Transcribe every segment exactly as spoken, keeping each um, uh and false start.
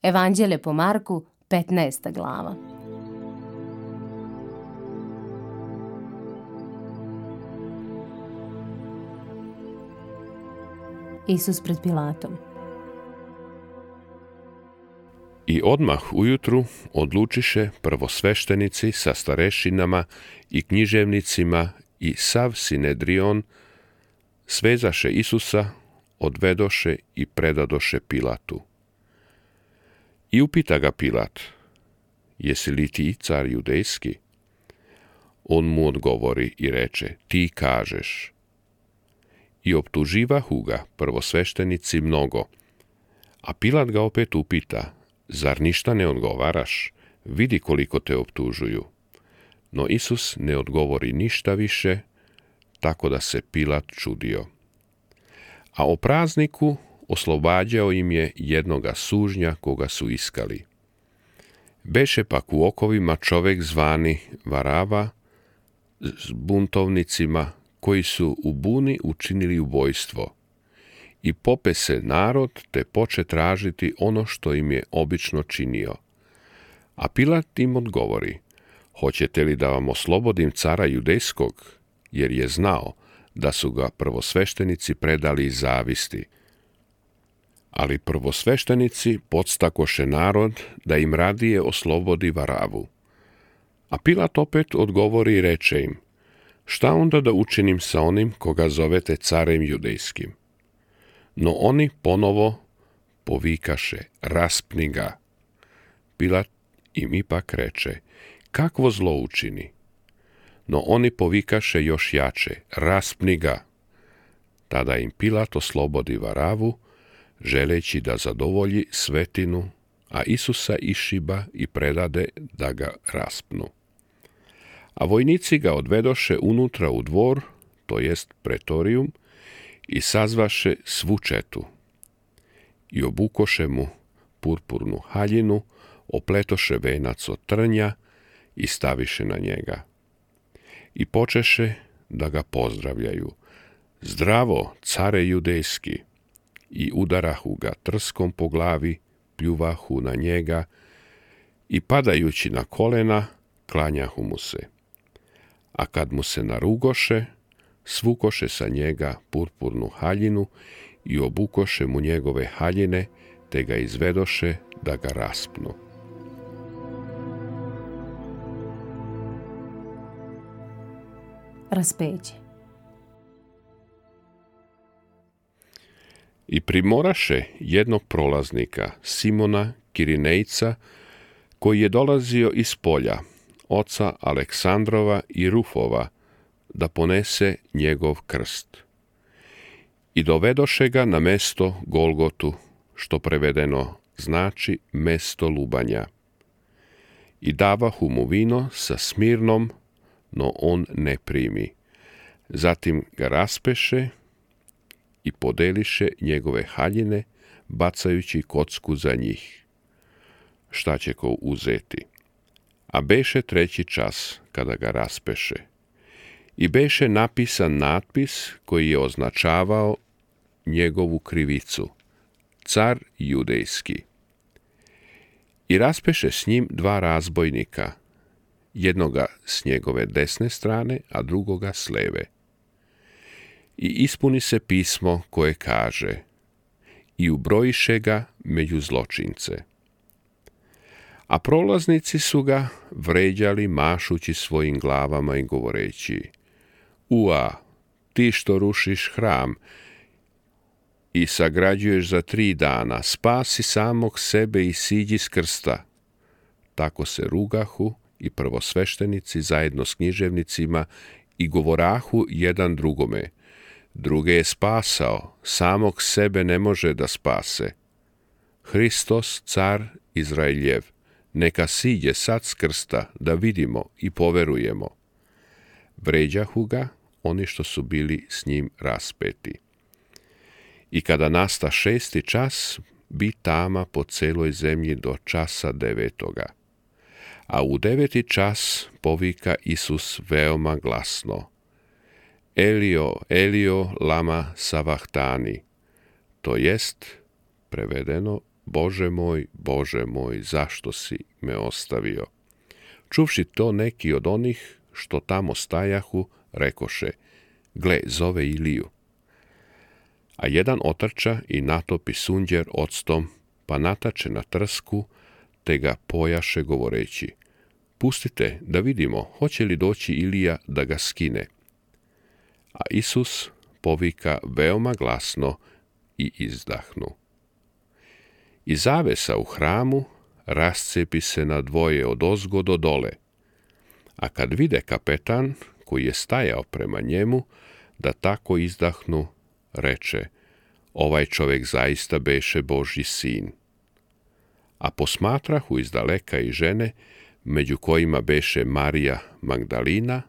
Evanđelje po Marku, petnaesta glava. Isus pred Pilatom. I odmah ujutru odlučiše prvosveštenici sa starešinama i književnicima i sav Sinedrion, svezaše Isusa, odvedoše i predadoše Pilatu. I upita ga Pilat, jesi li ti car judejski? On mu odgovori i reče, ti kažeš. I optuživahu ga prvosveštenici mnogo. A Pilat ga opet upita, zar ništa ne odgovaraš? Vidi koliko te optužuju. No Isus ne odgovori ništa više, tako da se Pilat čudio. A o prazniku oslobađao im je jednoga sužnja koga su iskali. Beše pak u okovima čovek zvani Varava s buntovnicima koji su u buni učinili ubojstvo. I pope se narod te poče tražiti ono što im je obično činio. A Pilat im odgovori, hoćete li da vam oslobodim cara judejskog, jer je znao da su ga prvosveštenici predali iz zavisti. Ali prvosveštenici podstakoše narod da im radije oslobodi Varavu. A Pilat opet odgovori i reče im, šta onda da učinim sa onim koga zovete carem judejskim? No oni ponovo povikaše, raspni ga. Pilat im ipak reče, kakvo zlo učini? No oni povikaše još jače, raspni ga. Tada im Pilat oslobodi Varavu, želeći da zadovolji svetinu, a Isusa išiba i predade da ga raspnu. A vojnici ga odvedoše unutra u dvor, to jest pretorijum, i sazvaše svu četu. I obukoše mu purpurnu haljinu, opletoše venac od trnja i staviše na njega. I počeše da ga pozdravljaju. Zdravo, care judejski! I udarahu ga trskom po glavi, pljuvahu na njega i padajući na kolena, klanjahu mu se. A kad mu se narugoše, svukoše sa njega purpurnu haljinu i obukoše mu njegove haljine, te ga izvedoše da ga raspnu. Raspeće. I primoraše jednog prolaznika, Simona Kirinejca, koji je dolazio iz polja, oca Aleksandrova i Rufova, da ponese njegov krst. I dovedoše ga na mesto Golgotu, što prevedeno znači mesto lubanja. I davahu mu vino sa smirnom, no on ne primi. Zatim ga raspeše i podeliše njegove haljine, bacajući kocku za njih. Šta će ko uzeti? A beše treći čas kada ga raspeše. I beše napisan natpis koji je označavao njegovu krivicu. Car judejski. I raspeše s njim dva razbojnika, jednoga s njegove desne strane, a drugoga s leve. I ispuni se pismo koje kaže, i ubrojiše ga među zločince. A prolaznici su ga vređali mašući svojim glavama i govoreći, ua, ti što rušiš hram i sagrađuješ za tri dana, spasi samog sebe i siđi s krsta. Tako se rugahu i prvosveštenici zajedno s književnicima i govorahu jedan drugome, druge je spasao, samog sebe ne može da spase. Hristos, car Izraeljev, neka siđe sad s krsta da vidimo i poverujemo. Vređahu ga oni što su bili s njim raspeti. I kada nasta šesti čas, bi tama po celoj zemlji do časa devetoga. A u deveti čas povika Isus veoma glasno, Elio, Elio, lama savahtani, to jest, prevedeno, Bože moj, Bože moj, zašto si me ostavio? Čuvši to, neki od onih što tamo stajahu, rekoše, gle, zove Iliju. A jedan otrča i natopi sunđer octom, pa natače na trsku, te ga pojaše govoreći, pustite da vidimo, hoće li doći Ilija da ga skine. A Isus povika veoma glasno i izdahnu. I zavesa u hramu rascepi se na dvoje od ozgo do dole, a kad vide kapetan, koji je stajao prema njemu, da tako izdahnu, reče, ovaj čovjek zaista beše Božji sin. A posmatrahu izdaleka i žene, među kojima beše Marija Magdalina,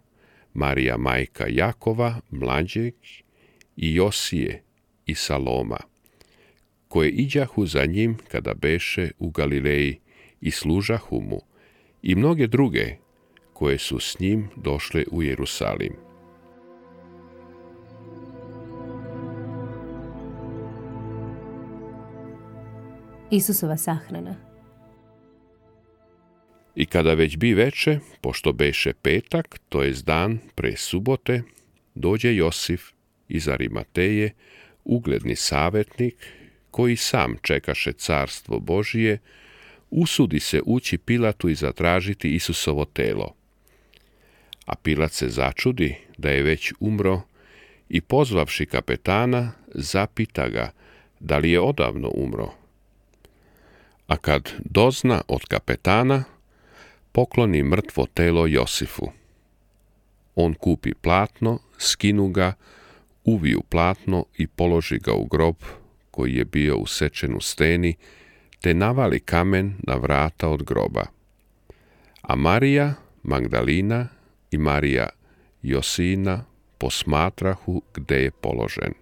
Marija majka Jakova, mlađeg, i Josije i Saloma, koje iđahu za njim kada beše u Galileji i služahu mu, i mnoge druge koje su s njim došle u Jerusalim. Isusova sahrana. I kada već bi veče, pošto beše petak, to jest dan pre subote, dođe Josif iz Arimateje, ugledni savjetnik, koji sam čekaše carstvo Božije, usudi se ući Pilatu i zatražiti Isusovo telo. A Pilat se začudi da je već umro i pozvavši kapetana, zapita ga da li je odavno umro. A kad dozna od kapetana, pokloni mrtvo telo Josifu. On kupi platno, skinu ga, uviju platno i položi ga u grob koji je bio usečen u steni, te navali kamen na vrata od groba. A Marija Magdalina i Marija Josina posmatrahu gde je položen.